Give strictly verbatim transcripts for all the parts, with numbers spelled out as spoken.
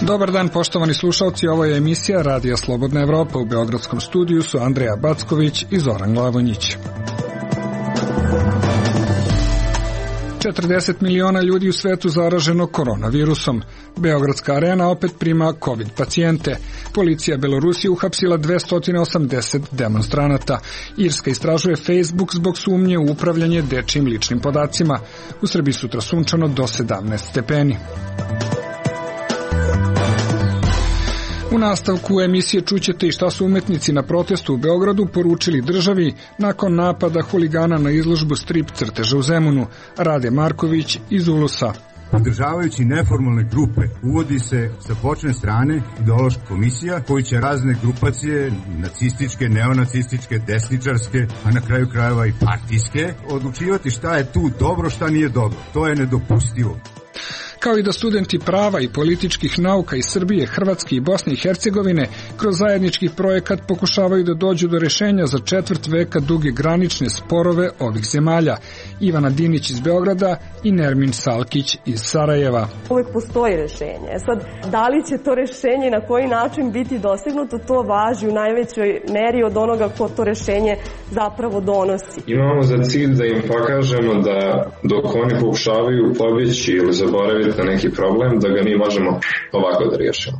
Dobar dan, poštovani slušalci, ovo je emisija Radija Slobodna Evropa. U beogradskom studiju su Andreja Backović i Zoran Glavonjić. četrdeset miliona ljudi u svetu zaraženo koronavirusom. Beogradska arena opet prima COVID pacijente. Policija Belorusije uhapsila dvesta osamdeset demonstranata. Irska istražuje Facebook zbog sumnje u upravljanje dečijim ličnim podacima. U Srbiji sutra sunčano do sedamnaest stepeni. U nastavku emisije čućete i šta su umetnici na protestu u Beogradu poručili državi nakon napada huligana na izložbu strip crteža u Zemunu. Rade Marković iz Ulusa. Podržavajući neformalne grupe, uvodi se sa počne strane ideološka komisija koji će razne grupacije, nacističke, neonacističke, desničarske, a na kraju krajeva i partijske, odlučivati šta je tu dobro, šta nije dobro. To je nedopustivo. Kao i da studenti prava i političkih nauka iz Srbije, Hrvatske i Bosne i Hercegovine kroz zajednički projekat pokušavaju da dođu do rešenja za četvrt veka duge granične sporove ovih zemalja. Ivana Dinić iz Beograda i Nermin Salkić iz Sarajeva. Uvek postoji rešenje. Sad, da li će to rešenje i na koji način biti dostignuto, to važi u najvećoj meri od onoga ko to rešenje zapravo donosi. Imamo za cilj da im pokažemo da dok oni pokušavaju pobjeći ili zaboraviti na neki problem, da ga mi možemo ovako da riješimo.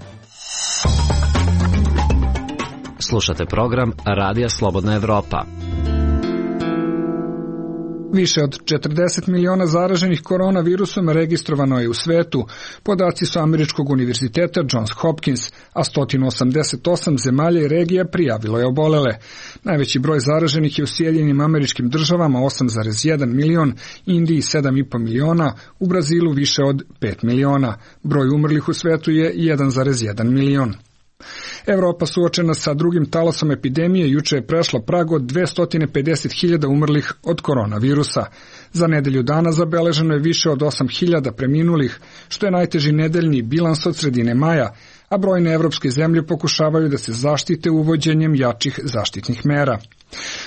Slušate program Radija Slobodna Evropa. Više od četrdeset miliona zaraženih koronavirusom registrovano je u svetu. Podaci su Američkog univerziteta Johns Hopkins, a sto osamdeset osam zemalja i regija prijavilo je obolele. Najveći broj zaraženih je u Sjedinjenim Američkim Državama osam zarez jedan milion, Indiji sedam zarez pet miliona, u Brazilu više od pet miliona. Broj umrlih u svetu je jedan zarez jedan milion. Evropa suočena sa drugim talasom epidemije juče je prešla prag od dvesta pedeset hiljada umrlih od koronavirusa. Za nedelju dana zabeleženo je više od osam hiljada preminulih, što je najteži nedeljni bilans od sredine maja, a brojne evropske zemlje pokušavaju da se zaštite uvođenjem jačih zaštitnih mera.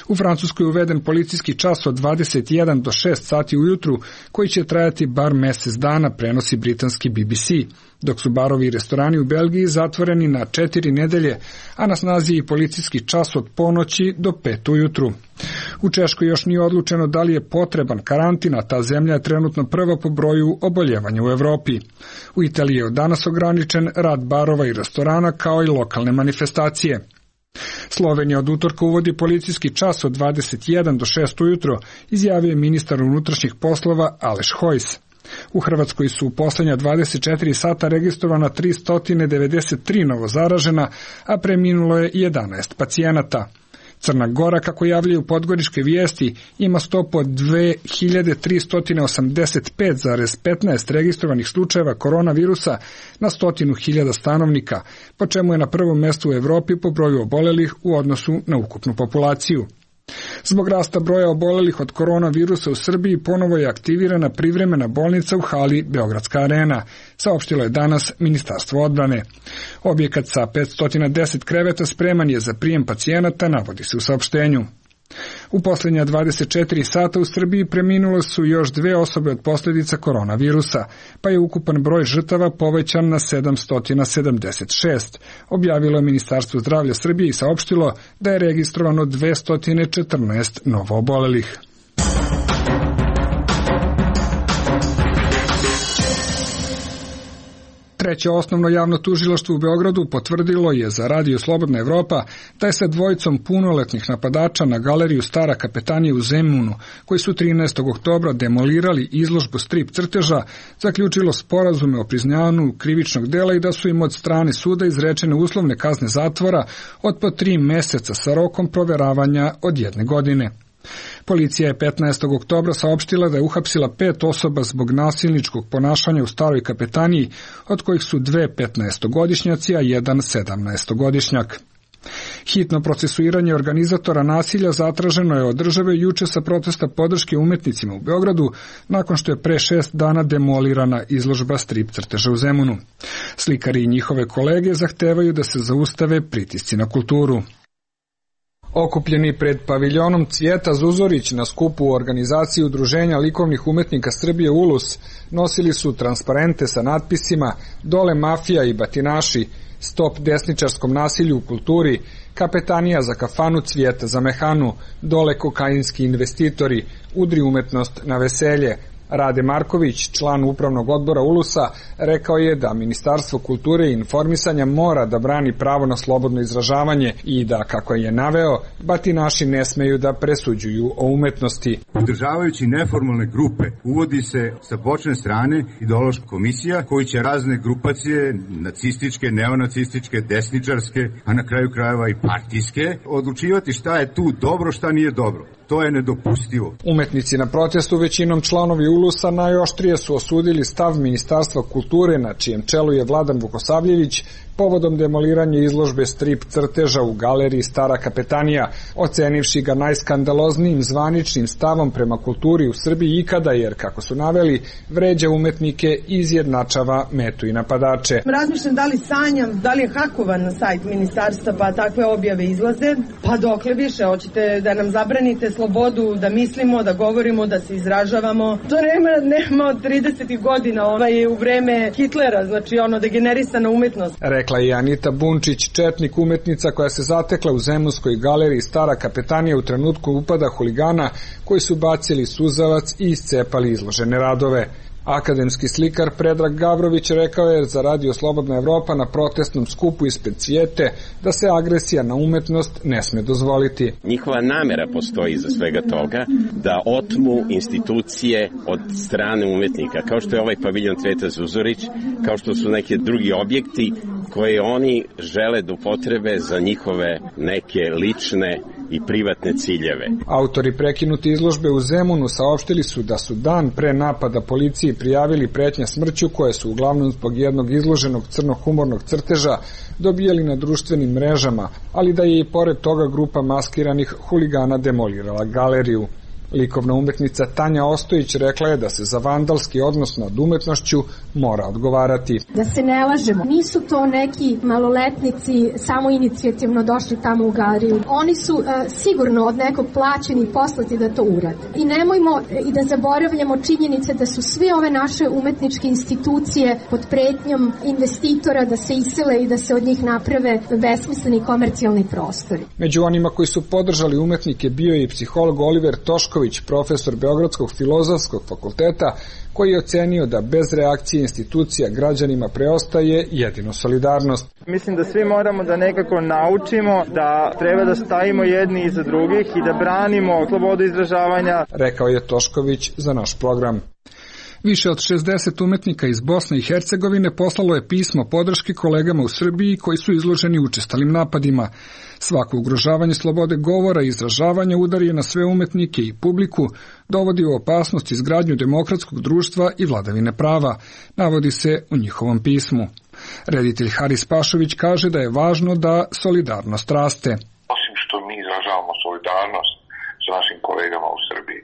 U Francuskoj je uveden policijski čas od dvadeset jedan do šest sati ujutru, koji će trajati bar mesec dana, prenosi britanski B B C, dok su barovi i restorani u Belgiji zatvoreni na četiri nedelje, a na snazi je i policijski čas od ponoći do pet ujutru. U Češkoj još nije odlučeno da li je potreban karantin, a ta zemlja je trenutno prva po broju oboljevanja u Evropi. U Italiji je od danas ograničen rad barova i restorana kao i lokalne manifestacije. Slovenija od utorka uvodi policijski čas od dvadeset jedan do šest ujutro, izjavio je ministar unutrašnjih poslova Aleš Hojs. U Hrvatskoj su u poslednja dvadeset četiri sata registrovana tristo devedeset tri novozaražena, a preminulo je jedanaest pacijenata. Crna Gora, kako javljaju podgoričke vijesti, ima stopu od dve hiljade tristo osamdeset pet zarez petnaest registrovanih slučajeva koronavirusa na stotinu hiljada stanovnika, po čemu je na prvom mestu u Evropi po broju obolelih u odnosu na ukupnu populaciju. Zbog rasta broja obolelih od koronavirusa u Srbiji ponovo je aktivirana privremena bolnica u hali Beogradska arena, saopštilo je danas Ministarstvo odbrane. Objekat sa petsto deset kreveta spreman je za prijem pacijenata, navodi se u saopštenju. U posljednja dvadeset četiri sata u Srbiji preminulo su još dve osobe od posljedica koronavirusa, pa je ukupan broj žrtava povećan na sedamsto sedamdeset šest, objavilo je Ministarstvo zdravlja Srbije i saopštilo da je registrovano dvesta četrnaest novoobolelih. Treće osnovno javno tužilaštvo u Beogradu potvrdilo je za Radio Slobodna Evropa da je sa dvojicom punoletnih napadača na galeriju Stara kapetanija u Zemunu, koji su trinaestog oktobra demolirali izložbu strip crteža, zaključilo sporazume o priznanju krivičnog dela i da su im od strane suda izrečene uslovne kazne zatvora od po tri meseca sa rokom proveravanja od jedne godine. Policija je petnaestog oktobra saopštila da je uhapsila pet osoba zbog nasilničkog ponašanja u Staroj kapetaniji, od kojih su dve petnaestogodišnjaci, a jedan sedamnaestogodišnjak. Hitno procesuiranje organizatora nasilja zatraženo je od države juče sa protesta podrške umetnicima u Beogradu, nakon što je pre šest dana demolirana izložba strip crteža u Zemunu. Slikari i njihove kolege zahtevaju da se zaustave pritisci na kulturu. Okupljeni pred paviljonom Cvijeta Zuzorić na skupu u organizaciji Udruženja likovnih umetnika Srbije Ulus nosili su transparente sa natpisima "Dole mafija i batinaši", "Stop desničarskom nasilju u kulturi", "Kapetanija za kafanu, Cvijeta za mehanu", "Dole kokainski investitori", "Udri umetnost na veselje". Rade Marković, član upravnog odbora Ulusa, rekao je da Ministarstvo kulture i informisanja mora da brani pravo na slobodno izražavanje i da, kako je naveo, batinaši ne smeju da presuđuju o umetnosti. Podržavajući neformalne grupe, uvodi se sa počne strane ideološka komisija koji će razne grupacije, nacističke, neonacističke, desničarske, a na kraju krajeva i partijske, odlučivati šta je tu dobro, šta nije dobro. To je nedopustivo. Umetnici na protestu, većinom članovi Ulusa, najoštrije su osudili stav Ministarstva kulture, na čijem čelu je Vladan Vukosavljević, povodom demoliranja izložbe strip crteža u galeriji Stara Kapetanija, ocenivši ga najskandaloznijim zvaničnim stavom prema kulturi u Srbiji ikada, jer, kako su naveli, vređa umetnike i izjednačava metu i napadače. Razmišljam da li sanjam, da li je hakovan na sajt ministarstva pa takve objave izlaze, pa dokle više, hoćete da nam zabranite slobodu, da mislimo, da govorimo, da se izražavamo. To nema, nema od tridesetih godina, ovaj u vreme Hitlera, znači ono degenerisana umetnost. Rekla je Anita Bunčić, četnik umetnica koja se zatekla u Zemunskoj galeriji Stara Kapetanija u trenutku upada huligana koji su bacili suzavac i iscepali izložene radove. Akademski slikar Predrag Gavrović rekao je za Radio Slobodna Evropa na protestnom skupu ispred Cvijete da se agresija na umetnost ne sme dozvoliti. Njihova namera postoji za svega toga da otmu institucije od strane umetnika, kao što je ovaj paviljon Cvijeta Zuzorić, kao što su neki drugi objekti koje oni žele da upotrebe za njihove neke lične i privatne ciljeve. Autori prekinuti izložbe u Zemunu saopštili su da su dan pre napada policiji prijavili pretnje smrću koje su uglavnom zbog jednog izloženog crnohumornog crteža dobijali na društvenim mrežama, ali da je i pored toga grupa maskiranih huligana demolirala galeriju. Likovna umetnica Tanja Ostojić rekla je da se za vandalski odnos nad umetnošću mora odgovarati. Da se ne lažemo, nisu to neki maloletnici samo inicijativno došli tamo u galeriju. Oni su uh, sigurno od nekog plaćeni i poslati da to urade. I nemojmo i da zaboravljamo činjenice da su sve ove naše umetničke institucije pod pretnjom investitora da se isele i da se od njih naprave besmisleni komercijalni prostori. Među onima koji su podržali umetnike bio je i psiholog Oliver Tošković, profesor Beogradskog filozofskog fakulteta, koji je ocenio da bez reakcije institucija građanima preostaje jedino solidarnost. Mislim da svi moramo da nekako naučimo da treba da stajimo jedni iza drugih i da branimo slobodu izražavanja, rekao je Tošković za naš program. Više od šezdeset umetnika iz Bosne i Hercegovine poslalo je pismo podrške kolegama u Srbiji koji su izloženi učestalim napadima. Svako ugrožavanje slobode govora i izražavanja udari na sve umetnike i publiku, dovodi u opasnost izgradnju demokratskog društva i vladavine prava, navodi se u njihovom pismu. Reditelj Haris Pašović kaže da je važno da solidarnost raste. Osim što mi izražavamo solidarnost sa našim kolegama u Srbiji,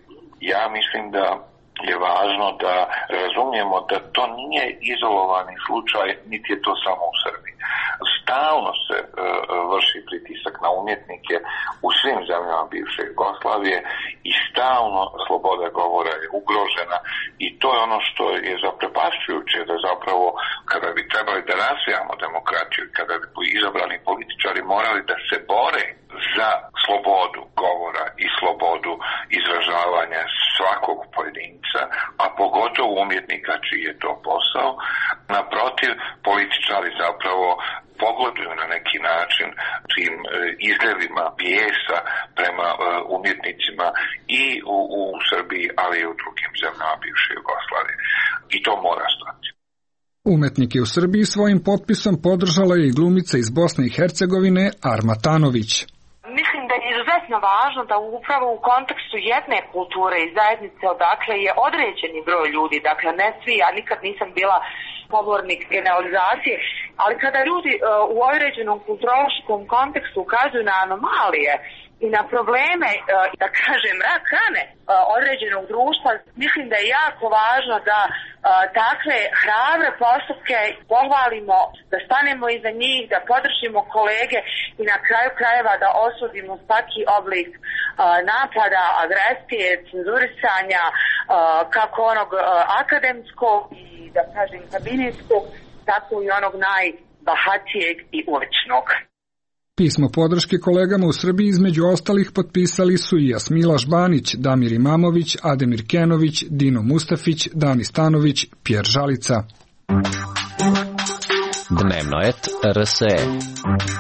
ja mislim da je važno da razumijemo da to nije izolovani slučaj, niti je to samo u Srbiji. Stalno se uh, vrši pritisak na umjetnike u svim zemljama bivše Jugoslavije i stalno sloboda govora je ugrožena i to je ono što je zaprepašćujuće, da zapravo kada bi trebali da razvijamo demokratiju, kada bi izabrani političari morali da se bore za slobodu govora i slobodu izražavanja svakog pojedinca, a pogotovo umjetnika čiji je to posao. Naprotiv, političari zapravo pogoduju na neki način tim izljevima bijesa prema umjetnicima i u, u Srbiji, ali i u drugim zemljama bivše Jugoslavije. I to mora stati. Umetnike u Srbiji svojim potpisom podržala je i glumica iz Bosne i Hercegovine Arma Tanović. Mislim da je izuzetno važno da upravo u kontekstu jedne kulture i zajednice odakle je određeni broj ljudi, dakle ne svi, ja nikad nisam bila pobornik generalizacije, ali kada ljudi uh, u određenom kulturološkom kontekstu ukazuju na anomalije i na probleme, da kažem, rak rane određenog društva, mislim da je jako važno da takve hrabre postupke pohvalimo, da stanemo iza njih, da podržimo kolege i na kraju krajeva da osudimo svaki oblik napada, agresije, cenzurisanja, kako onog akademskog i, da kažem, kabinetskog, tako i onog najbahatijeg i uličnog. Pismo podrške kolegama u Srbiji između ostalih potpisali su i Jasmila Žbanić, Damir Imamović, Ademir Kenović, Dino Mustafić, Dani Stanović, Pjer Žalica. Dnevno et R S E.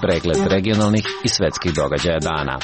Pregled regionalnih i svetskih događaja dana.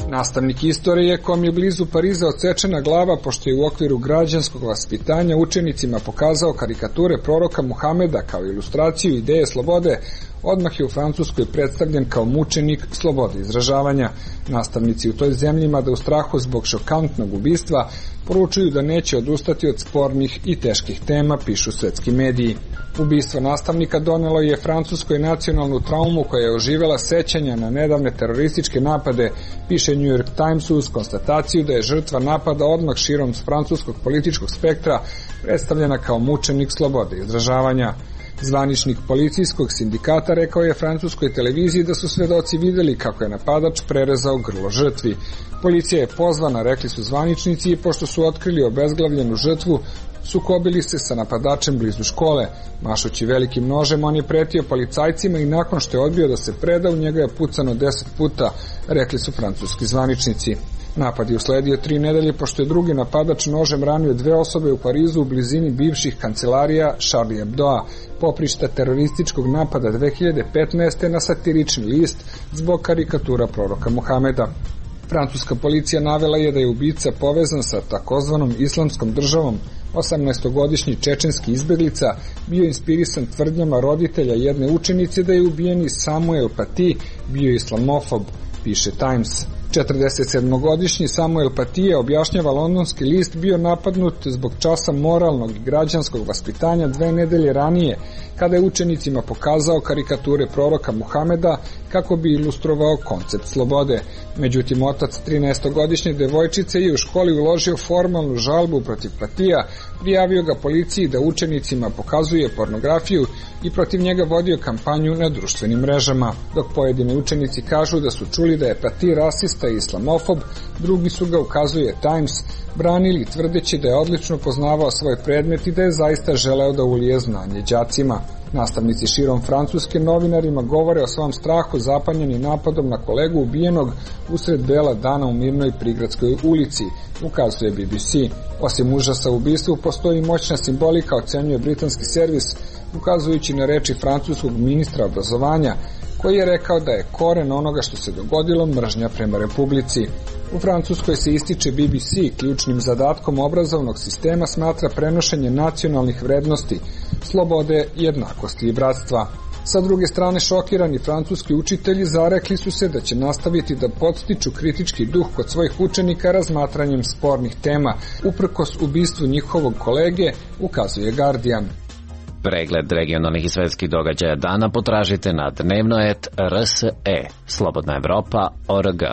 Nastavnik istorije kom je blizu Pariza odsečena glava pošto je u okviru građanskog vaspitanja učenicima pokazao karikature proroka Muhameda kao ilustraciju ideje slobode, odmah je u Francuskoj predstavljen kao mučenik slobode izražavanja. Nastavnici u toj zemlji, mada u strahu zbog šokantnog ubistva, poručuju da neće odustati od spornih i teških tema, pišu svetski mediji. Ubistvo nastavnika donelo je Francuskoj nacionalnu traumu koja je oživela sećanja na nedavne terorističke napade, piše New York Times uz konstataciju da je žrtva napada odmah širom francuskog političkog spektra predstavljena kao mučenik slobode izražavanja. Zvaničnik policijskog sindikata rekao je francuskoj televiziji da su svedoci videli kako je napadač prerezao grlo žrtvi. Policija je pozvana, rekli su zvaničnici, i pošto su otkrili obezglavljenu žrtvu, sukobili se sa napadačem blizu škole. Mašući velikim nožem, on je pretio policajcima i nakon što je odbio da se preda, u njega je pucano deset puta, rekli su francuski zvaničnici. Napad je usledio tri nedelje pošto je drugi napadač nožem ranio dve osobe u Parizu u blizini bivših kancelarija Charlie Hebdoa, poprišta terorističkog napada dve hiljade petnaeste. na satirični list zbog karikatura proroka Muhameda. Francuska policija navela je da je ubica povezan sa takozvanom islamskom državom. osamnaestogodišnji čečenski izbeglica bio inspirisan tvrdnjama roditelja jedne učenice da je ubijeni Samuel Paty bio islamofob, piše Times. četrdesetsedmogodišnji Samuel Paty, objašnjava londonski list, bio napadnut zbog časa moralnog i građanskog vaspitanja dve nedelje ranije, kada je učenicima pokazao karikature proroka Muhameda kako bi ilustrovao koncept slobode. Međutim, otac trinaestogodišnje devojčice je u školi uložio formalnu žalbu protiv Patija, prijavio ga policiji da učenicima pokazuje pornografiju i protiv njega vodio kampanju na društvenim mrežama. Dok pojedini učenici kažu da su čuli da je Paty rasista i islamofob, drugi su ga, ukazuje Times, branili tvrdeći da je odlično poznavao svoj predmet i da je zaista želeo da ulije znanje đacima. Nastavnici širom Francuske novinarima govore o svom strahu zapanjeni napadom na kolegu ubijenog usred bela dana u mirnoj prigradskoj ulici, ukazuje B B C. Osim užasa u ubistvu, postoji moćna simbolika, ocenjuje britanski servis, ukazujući na reči francuskog ministra obrazovanja, koji je rekao da je koren onoga što se dogodilo mržnja prema Republici. U Francuskoj se ističe B B C, ključnim zadatkom obrazovnog sistema smatra prenošenje nacionalnih vrednosti, slobode, jednakosti i bratstva. Sa druge strane, šokirani francuski učitelji zarekli su se da će nastaviti da podstiču kritički duh kod svojih učenika razmatranjem spornih tema, uprkos ubistvu njihovog kolege, ukazuje Guardian. Pregled regionalnih i svetskih događaja dana potražite na dnevno et R S E, Slobodna Evropa, O R G.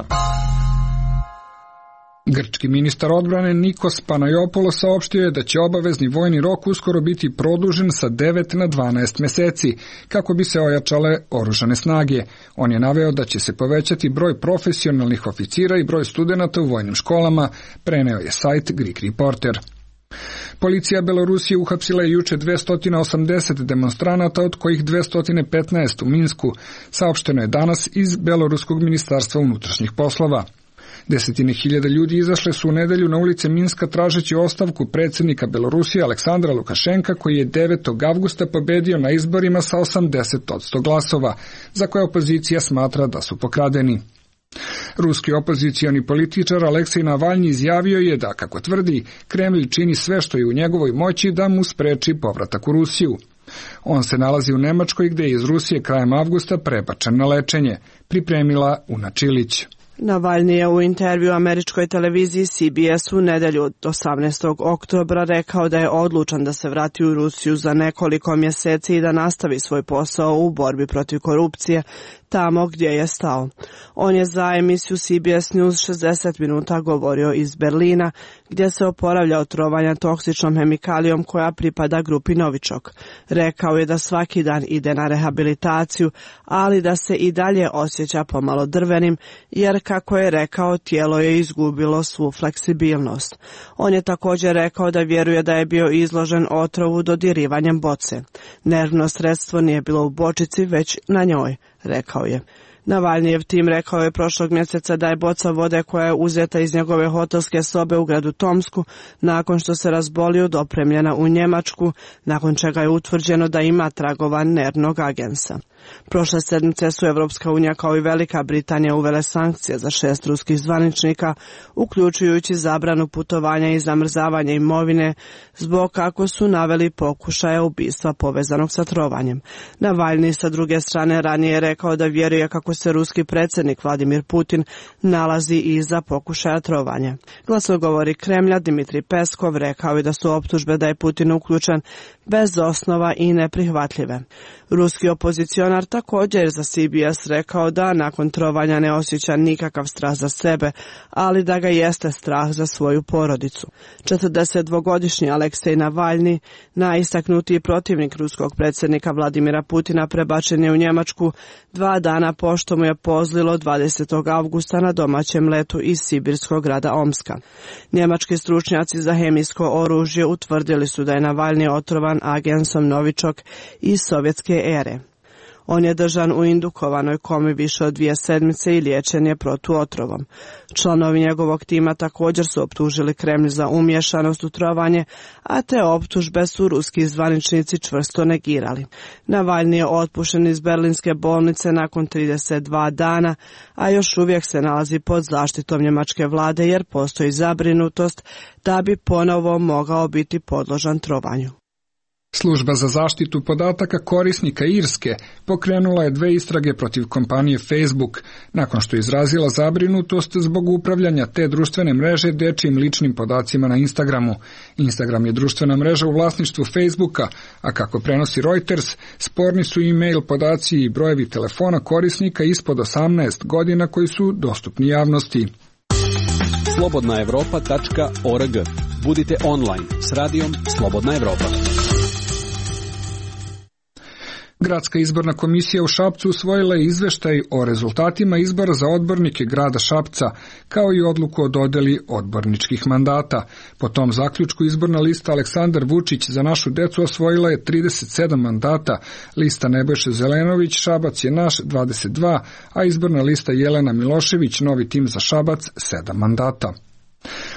Grčki ministar odbrane Nikos Panayopoulos saopštio je da će obavezni vojni rok uskoro biti produžen sa devet na dvanaest meseci, kako bi se ojačale oružane snage. On je naveo da će se povećati broj profesionalnih oficira i broj studenata u vojnim školama, preneo je sajt Greek Reporter. Policija Belorusije uhapsila je juče dvesta osamdeset demonstranata, od kojih dvesta petnaest u Minsku, saopšteno je danas iz Beloruskog ministarstva unutrašnjih poslova. Desetine hiljada ljudi izašle su u nedelju na ulice Minska tražeći ostavku predsjednika Belorusije Aleksandra Lukašenka, koji je devetog avgusta pobedio na izborima sa osamdeset posto glasova, za koje opozicija smatra da su pokradeni. Ruski opozicioni političar Aleksej Navalnji izjavio je da, kako tvrdi, Kremlj čini sve što je u njegovoj moći da mu spreči povratak u Rusiju. On se nalazi u Nemačkoj, gde je iz Rusije krajem avgusta prebačen na lečenje, pripremila Una Čilić. Navalnji je u intervju američkoj televiziji C B S u nedelju od osamnaestog oktobra rekao da je odlučan da se vrati u Rusiju za nekoliko mjeseci i da nastavi svoj posao u borbi protiv korupcije, tamo gdje je stao. On je za emisiju C B S News šezdeset minuta govorio iz Berlina, gdje se oporavlja od trovanja toksičnom hemikalijom koja pripada grupi Novičok. Rekao je da svaki dan ide na rehabilitaciju, ali da se i dalje osjeća pomalo drvenim, jer kako je rekao, tijelo je izgubilo svu fleksibilnost. On je također rekao da vjeruje da je bio izložen otrovu dodirivanjem boce. Nervno sredstvo nije bilo u bočici, već na njoj, rekao je. Navalnijev tim rekao je prošlog mjeseca da je boca vode koja je uzeta iz njegove hotelske sobe u gradu Tomsku nakon što se razbolio dopremljena u Njemačku, nakon čega je utvrđeno da ima tragova nervnog agensa. Prošle sedmice su Evropska unija kao i Velika Britanija uvele sankcije za šest ruskih zvaničnika, uključujući zabranu putovanja i zamrzavanje imovine, zbog kako su naveli pokušaja ubistva povezanog sa trovanjem. Navalni sa druge strane ranije je rekao da vjeruje kako se ruski predsjednik Vladimir Putin nalazi iza pokušaja trovanja. Glasnogovornik Kremlja Dmitrij Peskov rekao je da su optužbe da je Putin uključen bez osnova i neprihvatljive. Ruski opozicionar također za C B S rekao da nakon trovanja ne osjeća nikakav strah za sebe, ali da ga jeste strah za svoju porodicu. četrdesetdvogodišnji Aleksej Navalni, najistaknutiji protivnik ruskog predsjednika Vladimira Putina, prebačen je u Njemačku dva dana pošto mu je pozlilo dvadesetog avgusta na domaćem letu iz sibirskog grada Omska. Njemački stručnjaci za hemijsko oružje utvrdili su da je Navalni otrovan agensom Novičok iz sovjetske ere. On je držan u indukovanoj komi više od dvije sedmice i liječen je protuotrovom. Članovi njegovog tima također su optužili Kremlj za umješanost u trovanje, a te optužbe su ruski zvaničnici čvrsto negirali. Navalni je otpušten iz berlinske bolnice nakon trideset dva dana, a još uvijek se nalazi pod zaštitom njemačke vlade jer postoji zabrinutost da bi ponovo mogao biti podložan trovanju. Služba za zaštitu podataka korisnika Irske pokrenula je dve istrage protiv kompanije Facebook nakon što je izrazila zabrinutost zbog upravljanja te društvene mreže dečijim ličnim podacima na Instagramu. Instagram je društvena mreža u vlasništvu Facebooka, a kako prenosi Reuters, sporni su e-mail podaci i brojevi telefona korisnika ispod osamnaest godina koji su dostupni javnosti. slobodna evropa tačka org. Budite online s radijom Slobodna Evropa. Gradska izborna komisija u Šapcu usvojila je izveštaj o rezultatima izbora za odbornike grada Šapca, kao i odluku o dodeli odborničkih mandata. Po tom zaključku izborna lista Aleksandar Vučić za našu decu osvojila je trideset sedam mandata, lista Nebojša Zelenović Šabac je naš dvadeset dva, a izborna lista Jelena Milošević Novi tim za Šabac sedam mandata.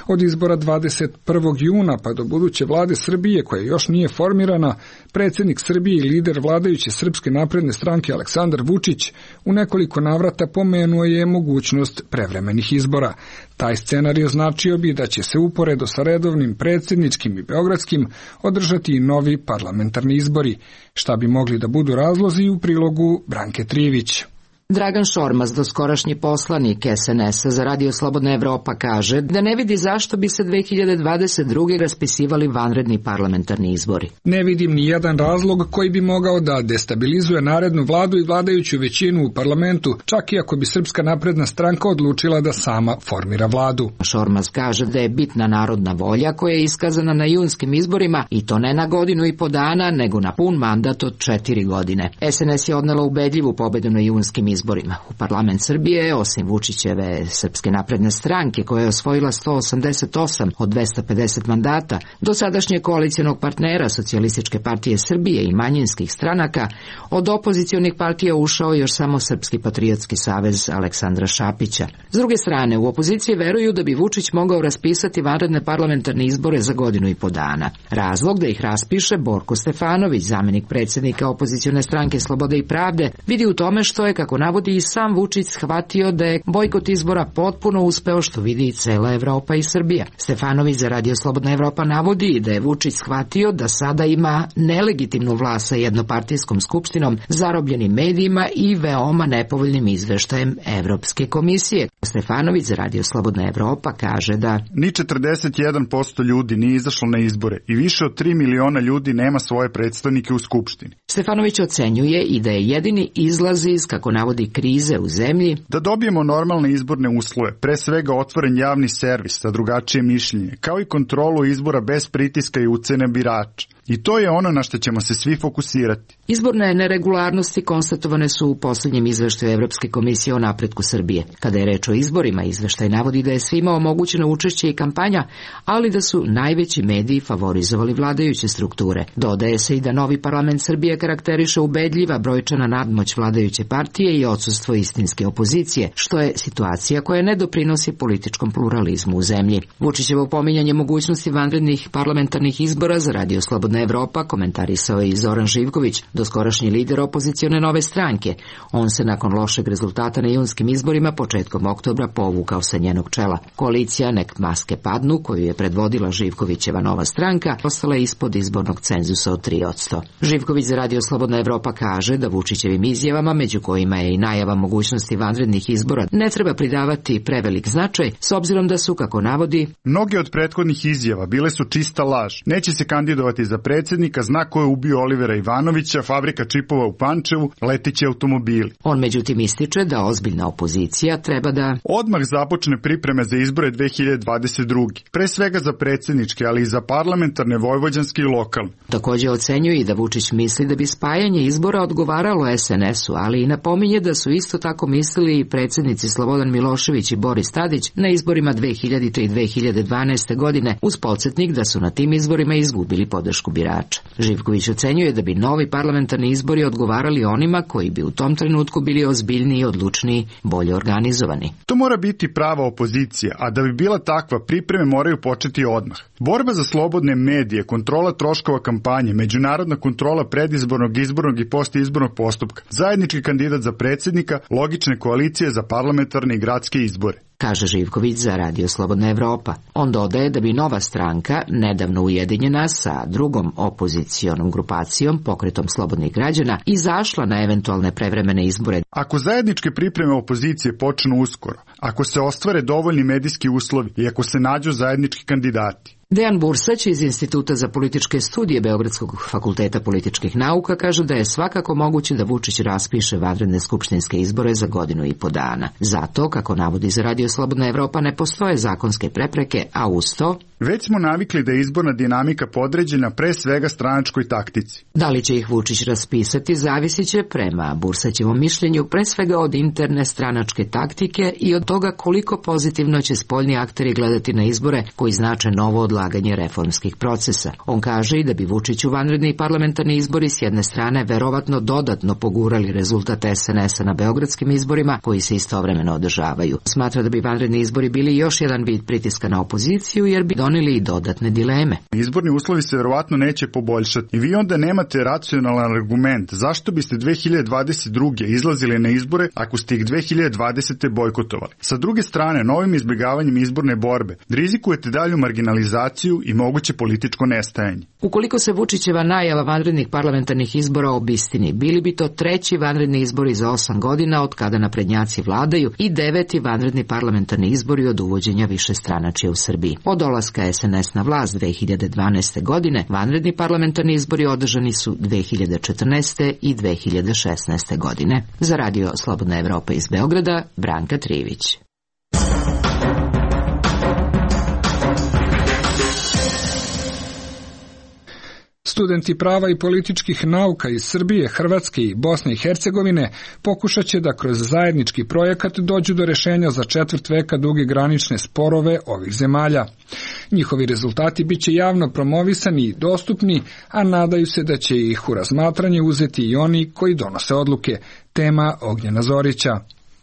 Od izbora dvadeset prvog juna pa do buduće vlade Srbije, koja još nije formirana, predsjednik Srbije i lider vladajuće Srpske napredne stranke Aleksandar Vučić u nekoliko navrata pomenuo je mogućnost prevremenih izbora. Taj scenarij označio bi da će se uporedo sa redovnim predsjedničkim i beogradskim održati i novi parlamentarni izbori, šta bi mogli da budu razlozi u prilogu Branke Trivić. Dragan Šormaz, doskorašnji poslanik S N S-a za Radio Slobodna Evropa, kaže da ne vidi zašto bi se dve hiljade dvadeset druge raspisivali vanredni parlamentarni izbori. Ne vidim ni jedan razlog koji bi mogao da destabilizuje narednu vladu i vladajuću većinu u parlamentu, čak i ako bi Srpska napredna stranka odlučila da sama formira vladu. Šormaz kaže da je bitna narodna volja koja je iskazana na junskim izborima i to ne na godinu i po dana, nego na pun mandat od četiri godine. S N S je odnela ubedljivu pobedu na junskim izborima. U parlament Srbije, osim Vučićeve Srpske napredne stranke, koja je osvojila sto osamdeset osam od dvesta pedeset mandata, do sadašnjeg koalicijonog partnera Socijalističke partije Srbije i manjinskih stranaka, od opozicionih partija ušao još samo Srpski patriotski savez Aleksandra Šapića. S druge strane, u opoziciji veruju da bi Vučić mogao raspisati vanredne parlamentarne izbore za godinu i po dana. Razlog da ih raspiše Borko Stefanović, zamenik predsjednika opozicione stranke Slobode i pravde, vidi u tome što je, kako navodi i sam Vučić, shvatio da je bojkot izbora potpuno uspeo, što vidi i cela Evropa i Srbija. Stefanović za Radio Slobodna Evropa navodi da je Vučić shvatio da sada ima nelegitimnu vlast sa jednopartijskom skupštinom, zarobljenim medijima i veoma nepovoljnim izveštajem Evropske komisije. Stefanović za Radio Slobodna Evropa kaže da ni četrdeset jedan posto ljudi nije izašlo na izbore i više od tri miliona ljudi nema svoje predstavnike u skupštini. Stefanović ocenjuje i da je jedini izlaz iz, kako navodi, krize u zemlji da dobijemo normalne izborne uslove, pre svega otvoren javni servis za drugačije mišljenje, kao i kontrolu izbora bez pritiska i ucene birača. I to je ono na što ćemo se svi fokusirati. Izborne neregularnosti konstatovane su u posljednjem izveštaju Evropske komisije o napretku Srbije. Kada je reč o izborima, izveštaj navodi da je svima omogućeno učešće i kampanja, ali da su najveći mediji favorizovali vladajuće strukture. Dodaje se i da novi parlament Srbije karakteriše ubedljiva brojčana nadmoć vladajuće partije i odsustvo istinske opozicije, što je situacija koja ne doprinosi političkom pluralizmu u zemlji. Vučićevo pominjanje mogućnosti vanrednih parlamentarnih izbora za Radio Slobodna Evropa komentarisao je i Zoran Živković, doskorašnji lider opozicione Nove stranke. On se nakon lošeg rezultata na junskim izborima početkom oktobra povukao sa njenog čela. Koalicija Nek maske padnu, koju je predvodila Živkovićeva Nova stranka, ostala je ispod izbornog cenzusa od tri posto. Živković za Radio Slobodna Evropa kaže da Vučićevim izjavama, među kojima je i najava mogućnosti vanrednih izbora, ne treba pridavati prevelik značaj, s obzirom da su, kako navodi, mnoge od prethodnih izjava bile su čista laž. Neće se kandidovati za predsjednika, zna ko je ubio Olivera Ivanovića, fabrika čipova u Pančevu, leteći automobili. On međutim ističe da ozbiljna opozicija treba da odmah započne pripreme za izbore dve hiljade dvadeset druge. Pre svega za predsjedničke, ali i za parlamentarne, vojvođanske i lokalne. Također ocenjuje i da Vučić misli da bi spajanje izbora odgovaralo es en esu, ali i napominje da su isto tako mislili i predsjednici Slobodan Milošević i Boris Tadić na izborima dve hiljadite i dve hiljade dvanaeste. godine, uz podsjetnik da su na tim izborima izgubili podršku birača. Živković ocenjuje da bi novi parlamentarni izbori odgovarali onima koji bi u tom trenutku bili ozbiljniji, odlučniji, bolje organizovani. To mora biti prava opozicija, a da bi bila takva, pripreme moraju početi odmah. Borba za slobodne medije, kontrola troškova kampanje, međunarodna kontrola predizbornog, izbornog i postizbornog postupka, zajednički kandidat za predsjednika, logične koalicije za parlamentarne i gradske izbore, kaže Živković za Radio Slobodna Evropa. On dodaje da bi Nova stranka, nedavno ujedinjena sa drugom opozicionom grupacijom, Pokretom slobodnih građana, izašla na eventualne prevremene izbore. Ako zajedničke pripreme opozicije počnu uskoro, ako se ostvare dovoljni medijski uslovi i ako se nađu zajednički kandidati. Dejan Bursać iz Instituta za političke studije Beogradskog fakulteta političkih nauka kaže da je svakako moguće da Vučić raspiše vanredne skupštinske izbore za godinu i po dana. Zato, kako navodi za Radio Slobodna Evropa, ne postoje zakonske prepreke, a uz to već smo navikli da je izborna dinamika podređena pre svega stranačkoj taktici. Da li će ih Vučić raspisati, zavisit će prema Bursaćevom mišljenju pre svega od interne stranačke taktike i od toga koliko pozitivno će spoljni akteri gledati na izbore koji znače novo odlaganje reformskih procesa. On kaže i da bi Vučić u vanredni parlamentarni izbori s jedne strane verovatno dodatno pogurali rezultat es en esa na beogradskim izborima koji se istovremeno održavaju. Smatra da bi vanredni izbori bili još jedan vid pritiska na opoziciju jer bi doneli i dodatne dileme. Izborni uslovi se verovatno neće poboljšati i vi onda nemate racionalan argument zašto biste dve hiljade dvadeset druge. izlazili na izbore ako ste ih dve hiljade dvadesete. bojkotovali. Sa druge strane, novim izbjegavanjem izborne borbe rizikujete dalju marginalizaciju i moguće političko nestajanje. Ukoliko se Vučićeva najava vanrednih parlamentarnih izbora obistini, bili bi to treći vanredni izbori za osam godina od kada naprednjaci vladaju i deveti vanredni parlamentarni izbori od uvođenja višestranačja u Srbiji. Od dolaska es en es na vlast dve hiljade dvanaeste. godine, vanredni parlamentarni izbori održani su dve hiljade četrnaeste. i dve hiljade šesnaeste. godine. Za Radio Slobodna Evropa iz Beograda, Branka Trivić. Studenti prava i političkih nauka iz Srbije, Hrvatske i Bosne i Hercegovine pokušat će da kroz zajednički projekat dođu do rešenja za četvrt veka duge granične sporove ovih zemalja. Njihovi rezultati bit će javno promovisani i dostupni, a nadaju se da će ih u razmatranje uzeti i oni koji donose odluke. Tema Ognjena Zorića.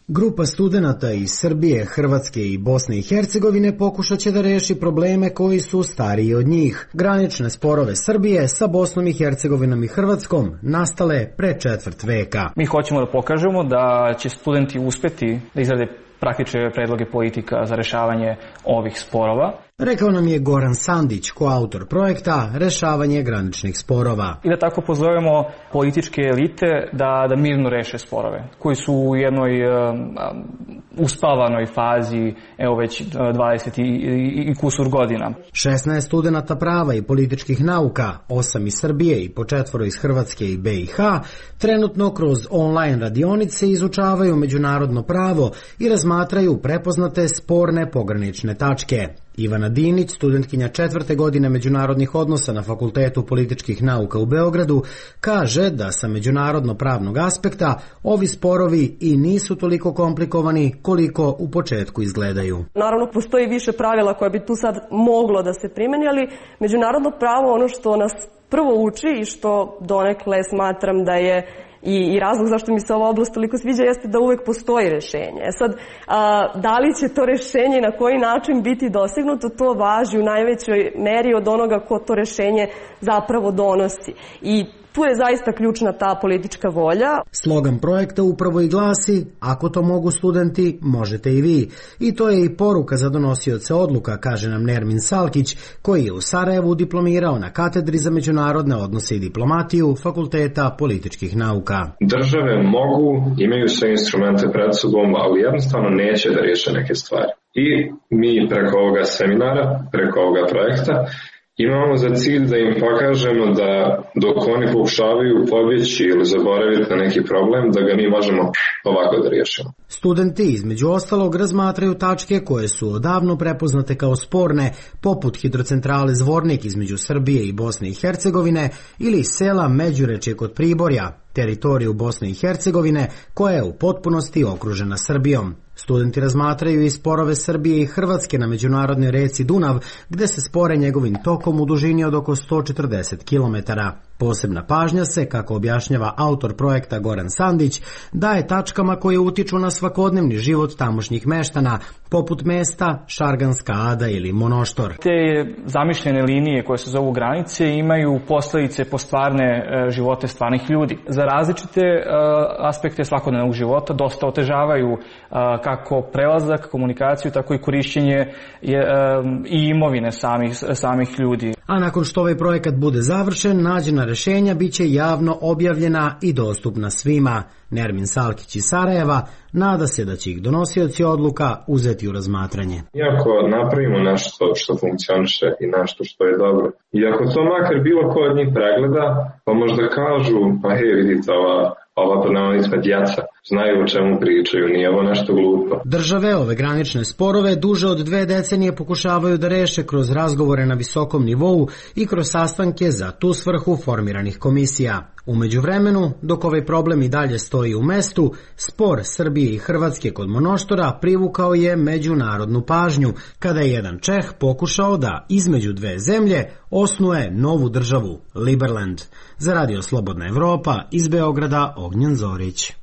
Grupa studenata iz Srbije, Hrvatske i Bosne i Hercegovine pokušat će da reši probleme koji su stariji od njih. Granične sporove Srbije sa Bosnom i Hercegovinom i Hrvatskom nastale pre četvrt veka. Mi hoćemo da pokažemo da će studenti uspeti da izrade praktične predloge politika za rešavanje ovih sporova. Rekao nam je Goran Sandić, koautor projekta Rešavanje graničnih sporova. I da tako pozovemo političke elite da, da mirno reše sporove, koji su u jednoj um, uspavanoj fazi, evo već dvadeset i, i, i kusur godina. šesnaest studenata prava i političkih nauka, osam iz Srbije i po četvoro iz Hrvatske i B i H, trenutno kroz online radionice izučavaju međunarodno pravo i razmatraju prepoznate sporne pogranične tačke. Ivana Dinić, studentkinja četvrte godine međunarodnih odnosa na Fakultetu političkih nauka u Beogradu, kaže da sa međunarodno pravnog aspekta ovi sporovi i nisu toliko komplikovani koliko u početku izgledaju. Naravno, postoji više pravila koje bi tu sad moglo da se primeni, ali međunarodno pravo, ono što nas prvo uči i što donekle smatram da je I, i razlog zašto mi se ova oblast toliko sviđa jeste da uvek postoji rešenje. Sad, a, da li će to rešenje i na koji način biti dosegnuto, to važi u najvećoj meri od onoga ko to rešenje zapravo donosi. I tu je zaista ključna ta politička volja. Slogan projekta upravo i glasi: ako to mogu studenti, možete i vi. I to je i poruka za donosioce odluka, kaže nam Nermin Salkić, koji je u Sarajevu diplomirao na katedri za međunarodne odnose i diplomatiju Fakulteta političkih nauka. Države mogu, imaju sve instrumente pred sobom, ali jednostavno neće da riješe neke stvari. I mi preko ovoga seminara, preko ovoga projekta, imamo za cilj da im pokažemo da dok oni pokušavaju pobjeći ili zaboraviti na neki problem, da ga mi možemo ovako da riješimo. Studenti između ostalog razmatraju tačke koje su odavno prepoznate kao sporne, poput hidrocentrale Zvornik između Srbije i Bosne i Hercegovine ili sela Međurečje kod Priborja, teritoriju Bosne i Hercegovine koja je u potpunosti okružena Srbijom. Studenti razmatraju i sporove Srbije i Hrvatske na međunarodnoj reci Dunav, gde se spore njegovim tokom u dužini od oko sto četrdeset kilometara. Posebna pažnja se, kako objašnjava autor projekta Goran Sandić, daje tačkama koje utiču na svakodnevni život tamošnjih meštana, poput mesta Šarganska Ada ili Monoštor. Te zamišljene linije koje se zovu granice imaju posledice po stvarne živote stvarnih ljudi. Za različite aspekte svakodnevnog života dosta otežavaju kako prelazak, komunikaciju, tako i korišćenje i imovine samih, samih ljudi. A nakon što ovaj projekat bude završen, nađena rešenja bit će javno objavljena i dostupna svima. Nermin Salkić iz Sarajeva nada se da će ih donosioci odluka uzeti u razmatranje. Iako napravimo nešto što funkcioniše i nešto što je dobro, i ako to makar bilo ko od njih pregleda, pa možda kažu, pa hej, vidite, ova, ova pod navodnicima djeca znaju o čemu pričaju, nije ovo nešto glupo. Države ove granične sporove duže od dve decenije pokušavaju da reše kroz razgovore na visokom nivou i kroz sastanke za tu svrhu formiranih komisija. U međuvremenu, dok ovaj problem i dalje stoji u mestu, spor Srbije i Hrvatske kod Monoštora privukao je međunarodnu pažnju, kada je jedan Čeh pokušao da između dve zemlje osnuje novu državu, Liberland. Za Radio Slobodna Evropa, iz Beograda, Ognjen Zorić.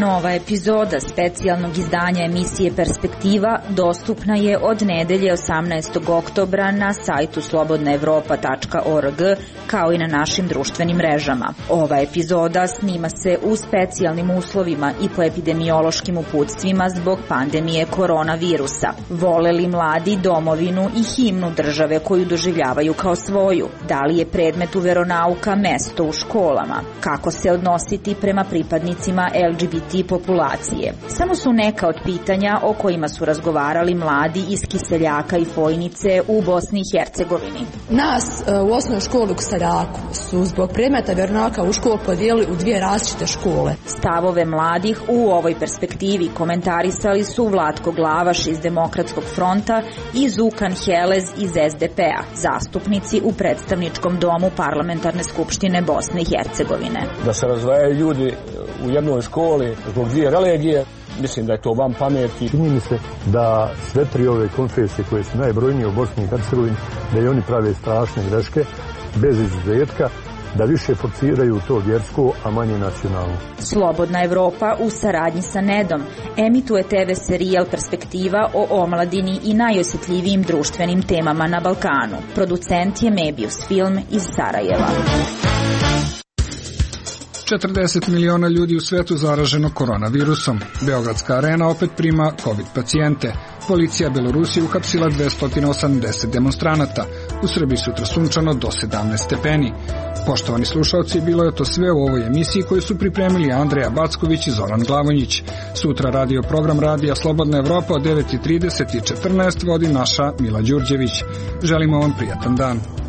Nova epizoda specijalnog izdanja emisije Perspektiva dostupna je od nedelje osamnaestog oktobra na sajtu slobodna evropa tačka org, kao i na našim društvenim mrežama. Ova epizoda snima se u specijalnim uslovima i po epidemiološkim uputstvima zbog pandemije koronavirusa. Vole li mladi domovinu i himnu države koju doživljavaju kao svoju? Da li je predmetu veronauka mesto u školama? Kako se odnositi prema pripadnicima L G B T populacije? Samo su neka od pitanja o kojima su razgovarali mladi iz Kiseljaka i Fojnice u Bosni i Hercegovini. Nas u osnovnoj školi u Kiseljaku su zbog predmeta veronauka u školu podijelili u dvije različite škole. Stavove mladih u ovoj perspektivi komentarisali su Vlatko Glavaš iz Demokratskog fronta i Zukan Helez iz S D P-a, zastupnici u predstavničkom domu Parlamentarne skupštine Bosne i Hercegovine. Da se razdvajaju ljudi u jednoj školi zbog dvije religije, mislim da je to van pameti. Čini mi se da sve tri ove konfesije koje su najbrojnije u Bosni i Hercegovini, da i oni prave strašne greške, bez izuzetka, da više forciraju to vjersko, a manje nacionalno. Slobodna Evropa u saradnji sa Nedom emituje te ve serijal Perspektiva o omladini i najosjetljivijim društvenim temama na Balkanu. Producent je Mebius Film iz Sarajeva. četrdeset miliona ljudi u svetu zaraženo koronavirusom. Beogradska arena opet prima COVID pacijente. Policija Belorusije uhapsila dvesta osamdeset demonstranata. U Srbiji sutra sunčano do sedamnaest stepeni. Poštovani slušalci, bilo je to sve u ovoj emisiji koju su pripremili Andreja Backović i Zoran Glavonjić. Sutra radio program Radija Slobodna Evropa od devet i trideset i četrnaest vodi naša Mila Đurđević. Želimo vam prijatan dan.